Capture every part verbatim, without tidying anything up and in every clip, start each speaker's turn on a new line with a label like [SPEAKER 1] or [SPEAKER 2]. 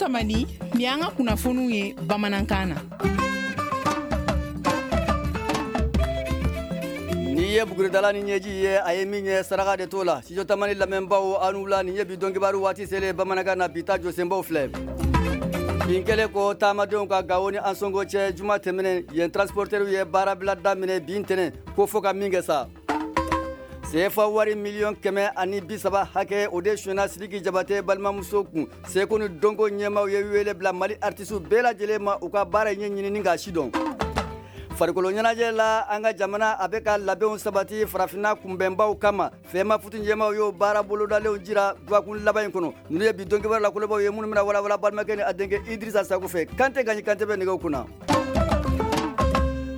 [SPEAKER 1] Tamani, nin y'an ka kunnafoniw ye bamanankan na.
[SPEAKER 2] N'i ye buguridala ni ɲɛji ye, a ye min ye saraka de t'o la. Studio Tamani lamɛnbaw, aw ni wula. Nin ye bi don kibaru waati selen bamanankan na. Bi ta jɔsenbaw filɛ: bin kɛlen ko taamadenw ka Gawo ni Ansongo cɛ juma tɛmɛnen, yen transporteurs ye baarabila daminɛ bi ntɛnɛn, ko fo ka min kɛ sa. Sefa wari miliyɔn kɛmɛ ani bi saba hakɛ, o de sonyɛna Sidiki Jabate balimamuso kun. Seko ni dɔnko ɲɛmaw ye wele bila Mali artistes bɛɛ lajɛlen ma, u ka baara ɲɛ ɲinini k'a si dɔn. Farikolo ɲɛnajɛ la, an ka jamana a bɛ ka labɛnw sabati farafinna kunbɛnbaw kama. FEMAFOOT ɲɛmaw y'o baara bolodalenw jira dɔgɔkun laban in kɔnɔ. Ninnu ye bi don kibaru la kolobaw ye, minnu bɛna walawala balimakɛ ni a denkɛ Idrissa Sako fɛ. Kante Gaɲi Kante bɛ nɛgɛw kunna.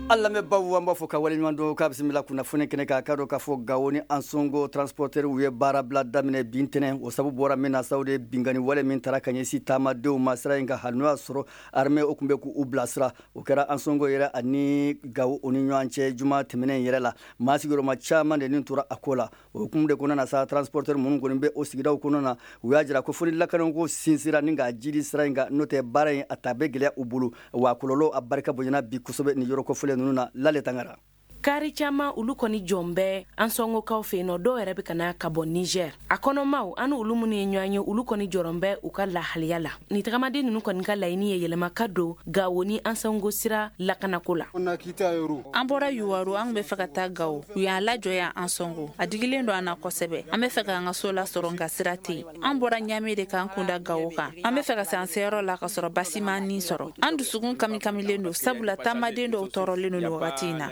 [SPEAKER 2] An lamɛnbaw, an b'a fɔ ka waleɲuman dɔn k'a bisimila kunnafoni kɛnɛ kan. K'a dɔn k'a fɔ Gawo ni Ansongo transporteurs ye baarabila daminɛ bi ntɛnɛn. O sababu bɔra min na sa, o de ye binkani wale min taara ka ɲɛsin taamadenw ma sira in kan, hali n'o y'a sɔrɔ armée o tun bɛ k'u bilasira. O kɛra Ansongo yɛrɛ ani Gawo o ni ɲɔgɔn cɛ juma tɛmɛnen yɛrɛ la. Maa sigiyɔrɔma caman de nin tora a ko la. O hukumu de kɔnɔna na sa, transporteur minnu kɔni bɛ o sigidaw kɔnɔna na, u y'a jira ko fo ni lakanako sinsira ni k'a jidi sira in kan, n'o tɛ baara in a ta bɛ gɛlɛya u bolo, wa kɔlɔlɔ a barika bonyana bi kosɛbɛ nin yɔrɔ kofɔlen ninnu na. Lale Tangara.
[SPEAKER 3] Kari caman, olu kɔni jɔn bɛ Ansɔngokaw fɛ yen nɔ. Dɔw yɛrɛ bɛ ka na ka bɔ Niger. A kɔnɔmaw an olu minnu ye ɲɔgɔn ye, olu kɔni jɔrɔn bɛ u ka lahaliya la. Nin tagamaden ninnu kɔni ka laɲini ye yɛlɛma ka don Gawo ni Ansɔngo sira lakanako la.
[SPEAKER 4] An bɔra Yuwaru, an bɛ fɛ ka taa Gawo. U y'an lajɔ yan Ansɔngo. A digilen don an na kosɛbɛ. An bɛ fɛ k'an ka so lasɔrɔ, nka sira tɛ yen. An bɔra Ɲame de k'an kunda Gawo kan. An bɛ fɛ ka se an seyɔrɔ la ka sɔrɔ basi m'an ni sɔrɔ. An dusukun kami-kamilen don, sabula taamaden dɔw tɔɔrɔlen don nin wagati in na.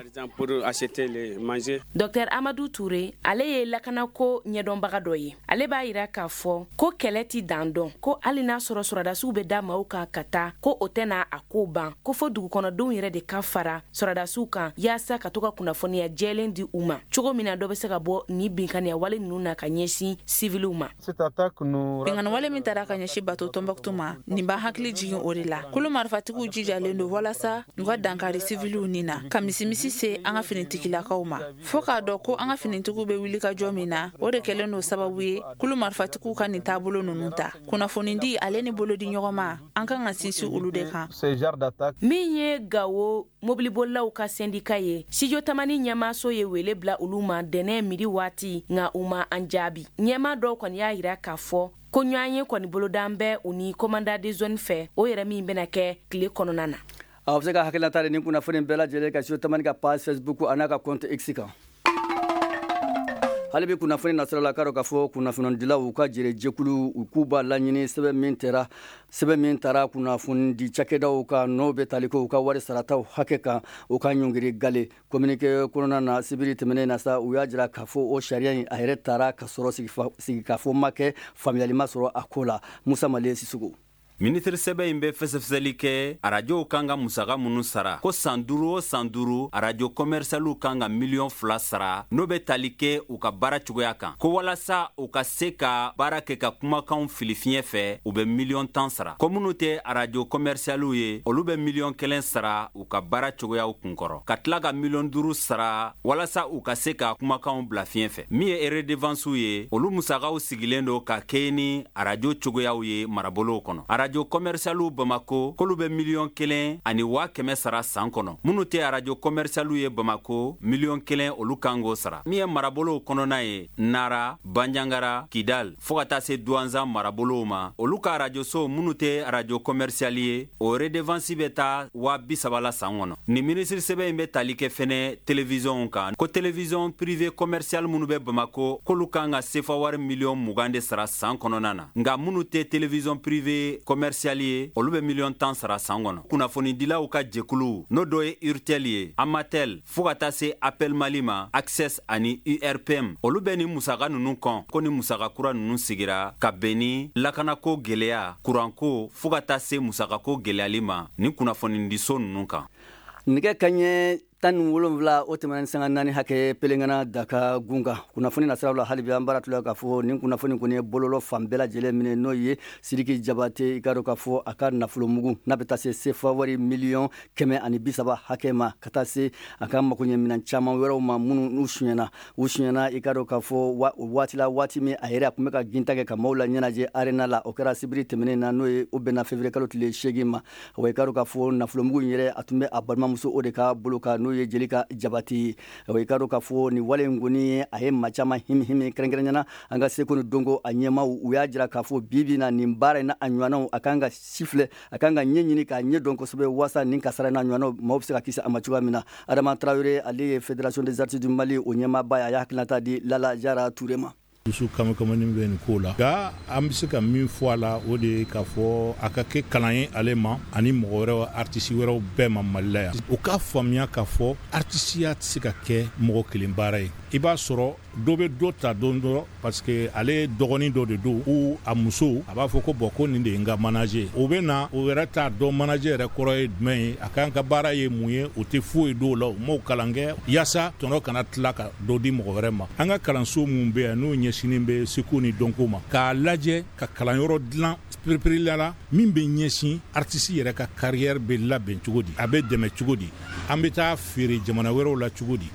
[SPEAKER 3] Docteur Amadu Ture, ale ye lakanako ɲɛdɔnbaga dɔ ye. Ale b'a yira k'a fɔ ko kɛlɛ ti dan dɔn, ko hali n'a sɔrɔ sɔrɔdasiw bɛ da maaw kan ka taa, ko o tɛna a ko ban, ko fo dugukɔnɔdenw yɛrɛ de ka fara sɔrɔdasiw kan yaasa ka to ka kunnafoniya jɛlen di u ma, cogo min na dɔ bɛ se ka bɔ ni binkaniya wale ninnu na ka ɲɛsin siviliw ma.
[SPEAKER 4] Binkani wale min taara ka ɲɛsin bato Tɔnbɔkutu ma, nin b'an hakili jigin o de la. Kulu marifatigiw jijalen don walasa u ka dankari siviliw ni na, ka misimisi se an ka finitigilakaw ma, fɔɔ k'a dɔn ko an ka finitigiw bɛ wuli ka jɔ min na. O de kɛlen don sababu ye kulu marifatigiw ka nin taabolo ninnu ta. Kunnafonidi ale ni bolodi ɲɔgɔn ma, an kan ka sinsin olu de kan.
[SPEAKER 3] Min ye Gawo mobilibolilaw ka sɛndika ye, Studio Tamani ɲɛmaaso ye wele bila olu ma dɛnɛ midi waati, nka u ma an jaabi. Ɲɛmaa dɔw kɔni y'a yira k'a fɔ ko ɲɔgɔn ye kɔni bolodan bɛ u ni commandant de zone fɛ, o yɛrɛ min bɛna kɛ tile kɔnɔna na.
[SPEAKER 2] Aw bɛ se ka hakilinata di ni kunnafoni bɛɛ lajɛlen ka Studio Tamani ka page Facebook a n'a ka compte X kan. Hali bi kunnafoni nasira la, k'a dɔn k'a fɔ kunnafonidilaw u ka jɛrɛ jɛkulu, u k'u b'a laɲini sɛbɛn min tɛra sɛbɛn min taara kunnafoni di cakɛdaw kan, n'o bɛ tali kɛ u ka wari sarataw hakɛ kan, u ka ɲɔngiri gale. Communiqué kɔnɔna na sibiri tɛmɛnen na sa, u y'a jira k'a fɔ o sariya in a yɛrɛ taara ka sɔrɔ sigikafɔ ma kɛ, faamuyali ma sɔrɔ a ko la. Musa Male Sisoko.
[SPEAKER 5] Minisiri sɛbɛn in bɛ fɛsɛfɛsɛli kɛ arajow kan ka musaka minnu sara, ko san duuru o san duuru, arajo kɔmɛrisaliw kan ka miliyɔn fila sara, n'o bɛ tali kɛ u ka baara cogoya kan, ko walasa u ka se ka baara kɛ ka kumakanw fili fiɲɛ fɛ, u bɛ miliyɔn tan sara, ko minnu tɛ arajo kɔmɛrisaliw ye, olu bɛ miliyɔn kelen sara u ka baara cogoyaw kunkɔrɔ, ka tila ka miliyɔn duuru sara walasa u ka se ka kumakanw bila fiɲɛ fɛ. Min ye redevancew ye, olu musakaw sigilen don ka kɛɲɛ ni arajo cogoyaw ye marabolow kɔnɔ. Arajo kɔmɛrisaliw Bamako, k'olu bɛ miliyɔn kelen ani waa kɛmɛ sara san kɔnɔ. Minnu tɛ arajo kɔmɛrisaliw ye Bamako, miliyɔn kelen, olu kan k'o sara. Min ye marabolow kɔnɔna ye, Nara, Banjangara, Kidal, fɔɔ ka taa se Duwanzan marabolow ma, olu ka arajoso minnu tɛ arajo kɔmɛrisali ye, o redevance bɛ taa waa bi saba la san kɔnɔ. Nin minisiri sɛbɛn in bɛ tali kɛ fɛnɛ televizɔnw kan, ko télévision privé commercial minnu bɛ Bamako, k'olu kan ka sefa wari miliyɔn mugan de sara san kɔnɔna na, nka minnu tɛ télévision privé commercial ye, olu bɛ miliyɔn tan sara san kɔnɔ. Kunnafonidilaw ka jɛkulu, n'o dɔ ye Urtel ye, Amatel, fɔɔ ka taa se Appel Mali ma, Access ani U R P M, olu bɛ nin musaka ninnu kɔn, ko ni musaka kura ninnu sigira ka bɛn ni lakanako gwɛlɛya, kuranko, fɔɔ ka taa se musakako gwɛlɛyali ma ni kunnafonidiso ninnu kan.
[SPEAKER 2] Nɛgɛ kaɲɛ Tan ni wolonwula o tɛmɛna ni sanga naani hakɛ pelengana Daka gun kan. Kunnafoni nasiraw la, hali bi an baara tula k'a fɔ nin kunnafoni kɔni ye bololɔ fan bɛɛ lajɛlen minɛ, n'o ye Sidiki Jabate. I k'a dɔn k'a fɔ a ka nafolomugu n'a bɛ taa se sefa wari miliyɔn kɛmɛ ani bi saba hakɛ ma, ka taa se a ka makoɲɛminɛn caman wɛrɛw ma minnu n'u sonyɛna u sonyɛna. I k'a dɔn k'a fɔ o waati la, waati min a yɛrɛ a tun bɛ ka ginta kɛ ka maaw la ɲɛnajɛ arena la, o kɛra sibiri tɛmɛnen na, n'o ye o bɛnna février kalo tile seegin ma. Wa i k'a dɔn k'a fɔ nafolomugu in yɛrɛ, a tun bɛ a balimamuso o de ka bolo kan, n'o ye Jelika Jabate ye. I k'a dɔn k'a fɔ nin wale in kɔni, a ye maa caman himi himi, kɛrɛnkɛrɛnnenya an ka seko ni dɔnko a ɲɛmaaw. U y'a jira k'a fɔ bi bi na, nin baara in na a ɲɔgɔnnaw, a kan ka sifilɛ, a kan ka ɲɛ ɲini k'a ɲɛ dɔn kosɛbɛ, waasa nin kasara n'a ɲɔgɔnnaw, maaw bɛ se ka kisi a ma cogoya min na. Adama Tarawele, ale ye Fédération des artistes du Mali o ɲɛmaaba ye, a y'a hakilinata di Lala Jara Ture ma.
[SPEAKER 6] Dusu kamikamani bɛ nin ko la, nka an bɛ se ka min fɔ a la, o de ye k'a fɔ a ka kɛ kalan ye ale ma ani mɔgɔ wɛrɛw, artiste wɛrɛw bɛɛ ma Mali la yan, u k'a faamuya k'a fɔ artisiya tɛ se ka kɛ mɔgɔ kelen baara ye. I b'a sɔrɔ dɔ bɛ dɔ ta don dɔ parce que ale dɔgɔnin dɔ de don ou a muso, a b'a fɔ ko bon, ko nin de ye n ka manager. O bɛ na, o yɛrɛ t'a dɔn manager yɛrɛ kɔrɔ ye jumɛn ye, a kan ka baara ye mun ye, o tɛ foyi dɔw la, u m'o kalan kɛ yaasa tɔnɔ kana tila ka dɔ di mɔgɔ wɛrɛ ma. An ka kalanso mun bɛ yan n'o ɲɛsinnen bɛ seko ni dɔnko ma, k'a lajɛ ka kalanyɔrɔ dilan pereperela la min bɛ ɲɛsin artiste yɛrɛ ka carrière bɛ labɛn cogo di, a bɛ dɛmɛ cogo di, an bɛ taa feere jamana wɛrɛw la cogo di.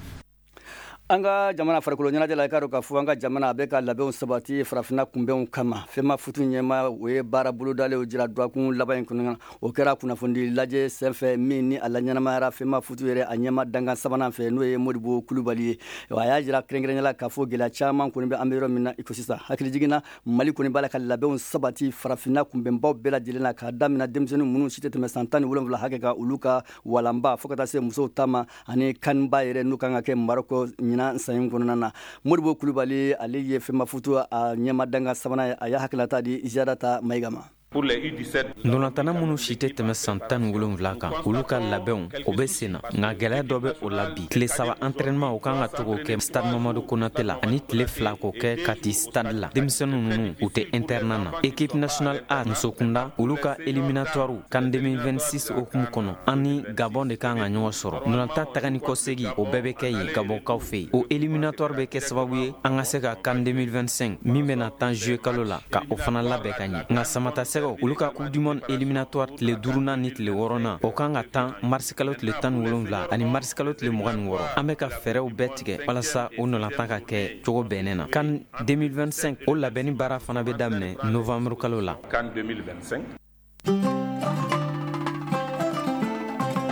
[SPEAKER 2] An ka jamana farikolo ɲɛnajɛ la, i k'a dɔn k'a fɔ an ka jamana a bɛ ka labɛnw sabati farafinna kunbɛnw kama. FEMAFOOT ɲɛma, o ye baara bolodalenw jira dɔgɔkun laban in kɔnɔ. O kɛra kunnafonidi lajɛ senfɛ min ni a la ɲɛnamayara FEMAFOOT yɛrɛ a ɲɛma dankan sabanan fɛ, n'o ye Modibo Kulubali ye. A y'a jira kɛrɛnkɛrɛnnenya la k'a fɔ gɛlɛya caman kɔni bɛ an bɛ yɔrɔ min na i ko sisan. Hakilijigin, Mali kɔni b'a la ka labɛnw sabati farafinna kunbɛnbaw bɛɛ lajɛlen na, k'a daminɛ denmisɛnnin minnu si tɛ tɛmɛ san tan ni wolonwula hakɛ kan, olu ka walanba, fo ka taa se musow ta ma ani CAN ba yɛrɛ n'u kan ka kɛ Maroko ɲinan san in kɔnɔna na. Modibo Kulubali, ale ye FEMAFOOT a ɲɛma dankan sabanan ye, a y'a hakilinata di Ziarata Mayiga ma.
[SPEAKER 7] Ndolantanna minnu si tɛ tɛmɛ san tan ni wolonwula kan, olu ka labɛnw o bɛ sen na, nka gɛlɛya dɔ bɛ o la bi. Tile saba entraînement, o kan ka to k'o kɛ stade Mamadu Konate la, ani tile fila k'o kɛ Kati stade la. Denmisɛnnin ninnu, u tɛ internat na. Équipe nationale A musokunda, olu ka éliminatoire CAN deux mille vingt-six hukumu kɔnɔ, an ni Gabon de kan ka ɲɔgɔn sɔrɔ. Ndolantan taga ni kɔsegi, o bɛɛ bɛ kɛ yen Gabɔnkaw fɛ yen. O éliminatoire bɛ kɛ sababu ye an ka se ka CAN deux mille vingt-cinq min bɛna tan juillet kalo la, ka o fana labɛn ka ɲɛ. Nka Samata Sɛgɛw, olu ka Coupe du monde éliminatoire tile duurunan ni tile wɔɔrɔnan, o kan ka tan marisi kalo tile tan ni wolonwula ani marisi kalo tile mugan ni wɔɔrɔ. An bɛ ka fɛɛrɛw bɛɛ tigɛ walasa o nɔlatan ka kɛ cogo bɛnnen na. CAN deux mille vingt-cinq, o labɛnni baara fana bɛ daminɛ novembre kalo la.
[SPEAKER 8] CAN deux mille vingt-cinq.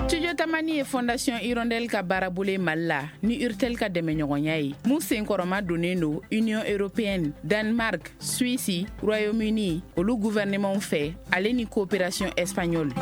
[SPEAKER 1] Studio Tamani ye Fondation Hirondelle ka baarabolo ye Mali la ni Urtel ka dɛmɛɲɔgɔnya ye, mun senkɔrɔma donnen don Union européenne, Danemark, Suisse, Royaume-Uni olu gouvernement fɛ, ale ni coopération espagnole.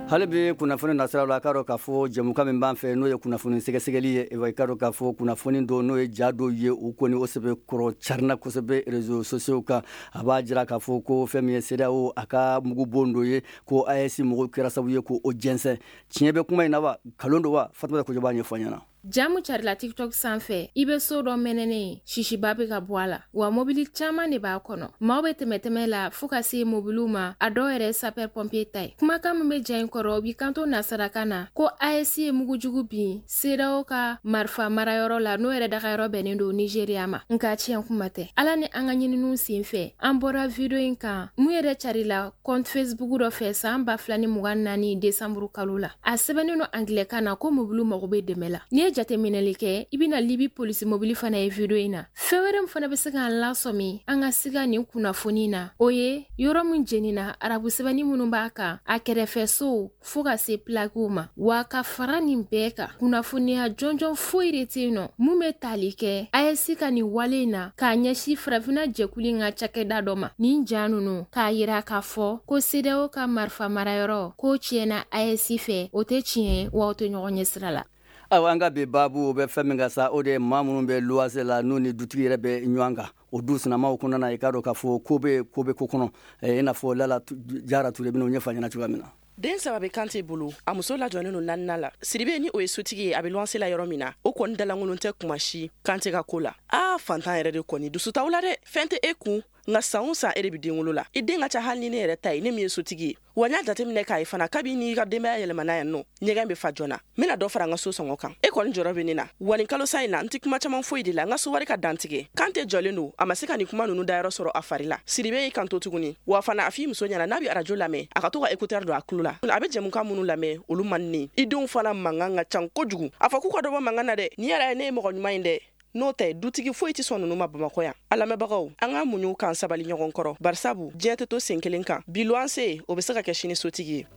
[SPEAKER 2] Hali bi kunnafoni nasiraw la, a k'a dɔn k'a fɔ jɛmukan min b'an fɛ, n'o ye kunnafoni sɛgɛsɛgɛli ye, i k'a dɔn k'a fɔ kunnafoni dɔ, n'o ye ja dɔw ye, u kɔni o sɛbɛ kɔrɔ carina kosɛbɛ réseaux sociaux kan. A b'a jira k'a fɔ ko fɛn min ye CEDEAO a ka mugubon dɔ ye, ko A E S mɔgɔw kɛra sababu ye k'o jɛnsɛn. Tiɲɛ bɛ kuma in na wa, nkalon don wa? Fatumata Kojo b'a ɲɛfɔ an ɲɛna.
[SPEAKER 9] Jamu carila TikTok sanfɛ, i be so dɔ mɛnɛnen ye, sisiba be ka bɔ a la, wa mobili caaman de b'a kɔnɔ. Maaw be tɛmɛtɛmɛ la fɔɔ ka se mobiliw ma, a dɔw yɛrɛ sapeur pompier ta ye. Kumakan min be ja in kɔrɔ, o b'i kanto nasarakan na ko A E S ye mugujugu bin CEDEAO ka marifa marayɔrɔ la, n'o yɛrɛ dagayɔrɔ bɛnnen don Nigeriya ma. Nka tiɲɛ kuma tɛ. Ala ni an ka ɲininiw sen fɛ, an bɔra video in kan mun yɛrɛ carila compte Facebook dɔ fɛ saan ba fila ni mugan naani desanburu kalo la. A sɛbɛnnen don angilɛkan na ko mobiliw mago be dɛmɛ la. N'i ye jateminɛli kɛ, i bɛna Libi polisi mobili fana ye video in na. Fɛn wɛrɛ min fana bɛ se k'an lasɔmi an ka siga nin kunnafoni na, o ye yɔrɔ min jenina, arabu sɛbɛnni minnu b'a kan, a kɛrɛfɛ sow fɔɔ ka se plakiw ma. Wa ka fara nin bɛɛ kan, kunnafoniya jɔnjɔn foyi de tɛ yen nɔ mun bɛ tali kɛ A E S ka nin wale in na k'a ɲɛsin farafinna jɛkulu in ka cakɛda dɔ ma. Nin ja ninnu k'a yira k'a fɔ ko CEDEAO ka marifa marayɔrɔ k'o tiɲɛna A E S fɛ, o tɛ tiɲɛ, wa o tɛ ɲɔgɔn ɲɛ sira la.
[SPEAKER 2] Ayiwa, an ka bi baabu, o bɛ fɛn min kan sa, o de ye maa minnu bɛ luwanse la, n'u ni dutigi yɛrɛ bɛ ɲɔgɔn kan, o du sinamaw kɔnɔna na. I k'a dɔn k'a fɔ ko bɛ ko bɛ ko kɔnɔ, i n'a fɔ Lala Jara Ture bɛna o ɲɛfɔ an ɲɛna cogoya min na.
[SPEAKER 3] Den saba bɛ Kante bolo, a muso lajɔlen don naaninan la. Siribe ni o ye sotigi ye, a bɛ luwanse la yɔrɔ min na, o kɔni dalankolon tɛ kuma si Kante ka ko la. Aa, fantan yɛrɛ de kɔni dusu t'aw la dɛ, fɛn tɛ e kun.
[SPEAKER 8] Nka san o san e de bɛ den wolo la. I den ka ca hali ni ne yɛrɛ ta ye, ne min ye sotigi ye. Wa n y'a jateminɛ k'a ye fana, kabi n'i ka denbaya yɛlɛmana yan nɔ, ɲɛgɛn bɛ fa joona. N bɛna dɔ fara n ka so sɔngɔ kan. E kɔni jɔrɔ bɛ ne na. Wa nin kalo sa in na, n tɛ kuma caman foyi de la, n ka so wari ka dantigɛ. Kan tɛ jɔlen don, a ma se ka nin kuma ninnu dayɔrɔ sɔrɔ a fari la. Siribe y'i kanto tuguni. Wa fana a f'i muso ɲɛna n'a bɛ arajo lamɛn, a ka to ka écouteur don a tulo la. A bɛ jɛmukan minnu lamɛn, olu man di ne. I denw fana mankan ka ca kojugu. A fɔ k'u ka dɔ bɔ mankan na dɛ. Nin yɛrɛ ye ne ye mɔgɔ ɲuman ye dɛ. N'o tɛ, dutigi foyi tɛ sɔn ninnu ma Bamakɔ yan. A lamɛnbagaw, an ka muɲu k'an sabali ɲɔgɔn kɔrɔ. Barisabu diɲɛ tɛ to sen kelen kan. Bi luwanse, o bɛ se ka kɛ sini sotigi ye.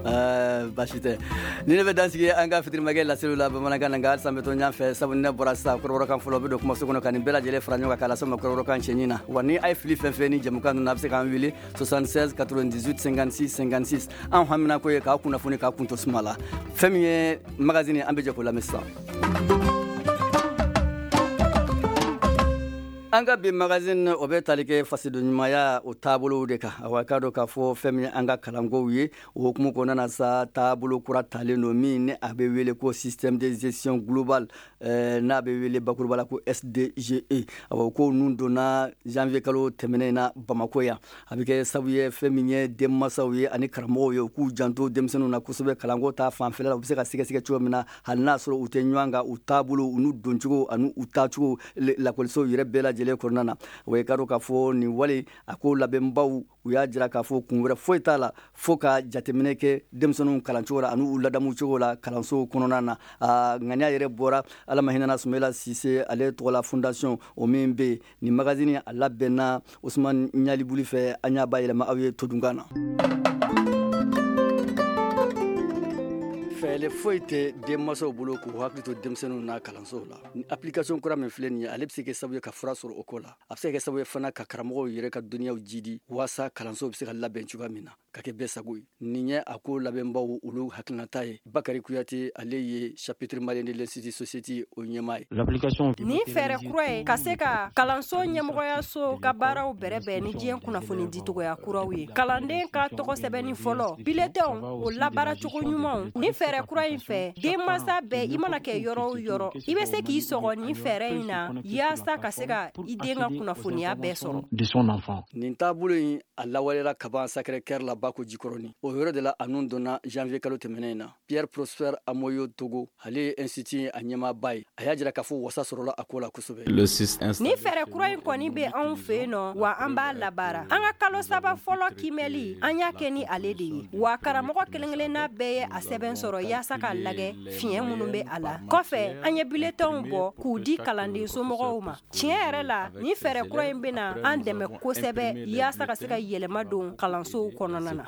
[SPEAKER 2] Baasi tɛ. Ni ne bɛ dansigi an ka fitirimakɛ laseliw la bamanankan na, nka halisa n bɛ to ɲɛ fɛ, sabu ne bɔra sisan kɔrɔbɔrɔkan fɔlɔ bɛ don kumaso kɔnɔ ka nin bɛɛ lajɛlen fara ɲɔgɔn kan k'a lase ma kɔrɔbɔrɔkan cɛɲi na. Wa ni a ye fili fɛn fɛn ni jɛmukan ninnu, a bɛ se k'an wele soixante-seize quatre-vingt-dix-huit cinquante-six cinquante-six. An hamina ko ye k'aw kunnafoni k'aw kun to suma la. Fɛn min ye magazine, an bɛ jɛ k'o lamɛn sisan. An ka bi magazine, o bɛ tali kɛ fasodenɲumanya o taabolow de kan. Awa, k'a dɔn k'a fɔ fɛn min an ka kalankow ye, o hukumu kɔnɔna na sa, taabolo kura talen don min ni a bɛ wele ko système de gestion global, euh, n'a bɛ wele bakuruba la ko S D G E. Awa, ko ninnu donna janvier kalo tɛmɛnen na Bamakɔ yan. A bɛ kɛ sababu ye fɛn min ye denmansaw ye ani karamɔgɔw ye, u k'u janto denmisɛnninw na kosɛbɛ kalanko ta fanfɛla la, u bɛ se ka sɛgɛsɛgɛ cogo min na, hali n'a sɔrɔ u tɛ ɲɔgɔn kan, u taabolo u n'u doncogo ani u taacogo lakɔlisow yɛrɛ bɛɛ lajɛlen kɔnɔna na. O ye k'a dɔn k'a fɔ nin wale a ko labɛnbaw, u y'a jira k'a fɔ kun wɛrɛ foyi t'a la fo ka jateminɛ kɛ denmisɛnninw kalancogo la ani u ladamu cogo la kalansow kɔnɔna na. A ŋaniya yɛrɛ bɔra Ala ma hinɛna Sumayila Sise ale tɔgɔla fondation o min bɛ yen. Nin magazine a labɛnna Usumani Ɲalibuli fɛ, an y'a bayɛlɛma aw ye todunkan na. Fɛɛrɛ foyi tɛ denmansaw bolo k'u hakili to denmisɛnninw na kalansow la. Ni application kura min filɛ nin ye, ale bɛ se kɛ sababu ye ka fura sɔrɔ o ko la. A bɛ se ka kɛ sababu ye fana ka karamɔgɔw yɛrɛ ka dɔnniyaw jidi waasa kalansow bɛ se ka labɛn cogoya min na ka kɛ bɛɛ sago ye. Nin ye a ko labɛnbaw olu hakilinata ye. Bakari Kuyate, ale ye chapitre malien de l'institut société o ɲɛmaa ye.
[SPEAKER 10] Nin fɛɛrɛ kura ye ka se ka kalanso ɲɛmɔgɔyaso ka baaraw bɛrɛbɛn ni diɲɛ kunnafoni dicogoya kuraw ye. Kalanden ka tɔgɔ sɛbɛnni fɔlɔ, bulletinw o labaaracogo ɲumanw. Nin fɛɛrɛ kura in fɛ, denmansa bɛɛ, i mana kɛ yɔrɔ o yɔrɔ, i bɛ se k'i sɔgɔ nin fɛɛrɛ in na yaasa ka se ka i den ka kunnafoniya bɛɛ sɔrɔ.
[SPEAKER 2] Nin taabolo in a lawaleyara kaban Sacré-Cœur la Bako Jikɔrɔni. O yɔrɔ de la a nun donna janvier kalo tɛmɛnen in na. Pierre Prosper Amoyo Togo, ale ye institut a ɲɛmaaba ye. A y'a jira k'a fɔ wasa sɔrɔla a ko la kosɛbɛ.
[SPEAKER 10] Nin fɛɛrɛ kura in kɔni bɛ anw fɛ yen nɔ, wa an b'a labaara. An ka kalo saba fɔlɔ kimɛli, an y'a kɛ ni ale de ye. Wa karamɔgɔ kelen-kelenna bɛɛ ye a sɛbɛn sɔrɔ yaasa k'a lajɛ fiɲɛ minnu bɛ a la. Kɔfɛ, an ye bulletinw bɔ k'u di kalanden somɔgɔw ma. Tiɲɛ yɛrɛ la, nin fɛɛrɛ kura in bɛna an dɛmɛ kosɛbɛ yaasa ka se ka yɛlɛma don kalansow kɔnɔna na.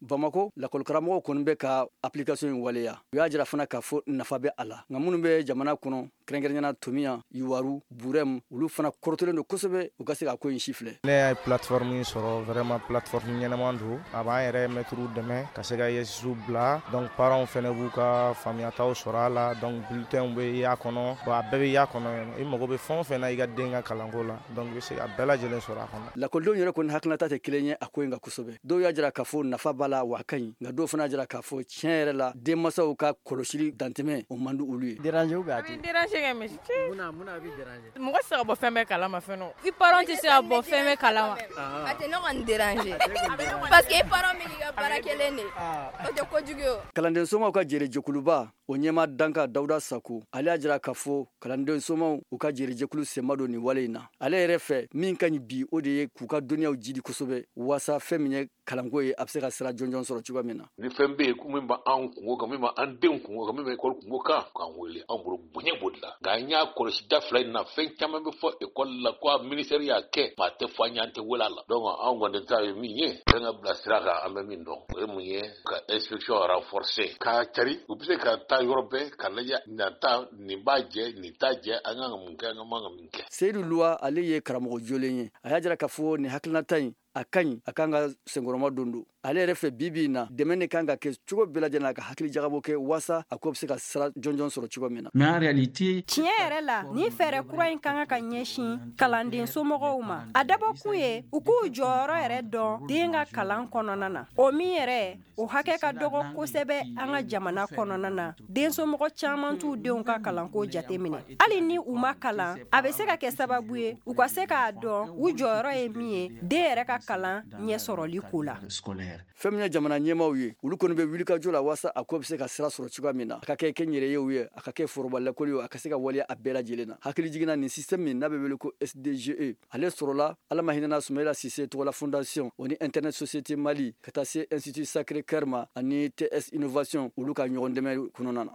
[SPEAKER 2] Bamakɔ lakɔlikaramɔgɔw kɔni bɛ ka application in waleya. U y'a jira fana k'a fɔ nafa bɛ a la. Nka minnu bɛ jamana kɔnɔ, kɛrɛnkɛrɛnnenya Tomiya, Yuwaru, Burɛmu, olu fana kɔrɔtɔlen don kosɛbɛ u ka se ka ko in si filɛ.
[SPEAKER 11] Ne y'a plateforme in sɔrɔ, vraiment plateforme ɲɛnama don. A b'an yɛrɛ mɛtiriw dɛmɛ ka se ka I S bila. Donc parents fɛnɛ b'u ka faamuyataw sɔrɔ a la. Donc bulletinw bɛ y'a kɔnɔ, bon a bɛɛ bɛ y'a kɔnɔ. I mago bɛ fɛn o fɛn na i ka den ka kalanko la, donc i bɛ se ka bɛɛ lajɛlen sɔrɔ a kɔnɔ.
[SPEAKER 2] Lakɔlidenw yɛrɛ kɔni hakilinata tɛ kelen ye a ko in kan kosɛbɛ. Dɔw y'a jira k'a fɔ nafa b'a la wa a ka ɲi, nka dɔw fana y'a jira k'a fɔ tiɲɛ yɛrɛ la denmansaw ka kɔlɔsili dantɛmɛ o man di olu ye.
[SPEAKER 12] Déranger ou bien a tɛ
[SPEAKER 13] déranger kɛ mais
[SPEAKER 12] munna munna a bɛ déranger?
[SPEAKER 13] Mɔgɔ tɛ se ka bɔ fɛn bɛɛ kalama fɛn nɔ. I parents tɛ se ka bɔ fɛn bɛɛ kalama.
[SPEAKER 14] A tɛ ne kɔni déranger parce que i parents bɛ k'i ka baara kelen de, o tɛ kojugu ye o.
[SPEAKER 2] Kalanden somaw ka jɛrɛjɛkuluba o ɲɛmaa danka Dawuda Sako, ale y'a jira k'a fɔ kalanden somaw u ka jɛrɛjɛkulu senma don nin wale in na. Ale yɛrɛ fɛ min ka ɲi bi, o de ye k'u ka dɔnniyaw jidi kosɛbɛ waasa fɛn min ye kalanko ye a bɛ se ka sira jɔnjɔn sɔrɔ cogoya min na.
[SPEAKER 15] Ni fɛn bɛ yen ko min b'an kungo kan, min b'an denw kungo kan, min bɛ ekɔli kungo kan, k'an wele, anw bolo bonya b'o de la. Nka an y'a kɔlɔsi da fila in na, fɛn caman bɛ fɔ ekɔli la ko a ministère y'a kɛ, maa tɛ fɔ an ye, an tɛ wele a la. Donc anw kɔni ta ye min ye, fɛn ka bila sira kan, an bɛ min dɔn, o ye mun ye, ka inspection renforcer, k'a cari, u bɛ se ka taa yɔrɔ bɛɛ ka lajɛ nin ta nin b'a jɛ, nin t'a jɛ, an kan ka mun kɛ, an man ka min kɛ.
[SPEAKER 2] Seyidu Luwa, ale ye karamɔgɔ jolen ye. A y'a jira k'a fɔ nin hakilinata in a ka ɲi, a kan ka senkɔrɔma don don. Ale yɛrɛ fɛ bi bi in na, dɛmɛ de kan ka kɛ cogo bɛɛ lajɛlen na ka hakili jagabɔ kɛ waasa a ko bɛ se ka sira jɔnjɔn sɔrɔ cogo min na.
[SPEAKER 16] Mais en réalité,
[SPEAKER 10] tiɲɛ yɛrɛ la, nin fɛɛrɛ kura in kan ka ɲɛsin kalanden somɔgɔw ma. A dabɔkun ye u k'u jɔyɔrɔ yɛrɛ dɔn den ka kalan kɔnɔna na. O min yɛrɛ, o hakɛ ka dɔgɔ kosɛbɛ an ka jamana kɔnɔna na. Den somɔgɔ caman t'u denw ka kalanko jateminɛ. Hali ni u ma kalan, a bɛ se ka kɛ sababu ye u ka se k'a dɔn u jɔyɔrɔ ye min ye den yɛrɛ ka kalan ɲɛ sɔrɔli ko la.
[SPEAKER 2] Fɛn min ye jamana ɲɛmaaw ye, olu kɔni bɛ wulikajɔ la waasa a ko bɛ se ka sira sɔrɔ cogoya min na, a ka kɛ kɛnyɛrɛyew ye, a ka kɛ foroba lakɔli ye, a ka se ka waleya a bɛɛ lajɛlen na. Hakili jiginna nin système min n'a bɛ wele ko S D G E, ale sɔrɔla Ala ma hinɛna Sumayila Sise tɔgɔla fondation o ni Internet Société Mali ka taa se Institut Sacré Cœur ma ani T S Innovation, olu ka ɲɔgɔn dɛmɛ kɔnɔna na.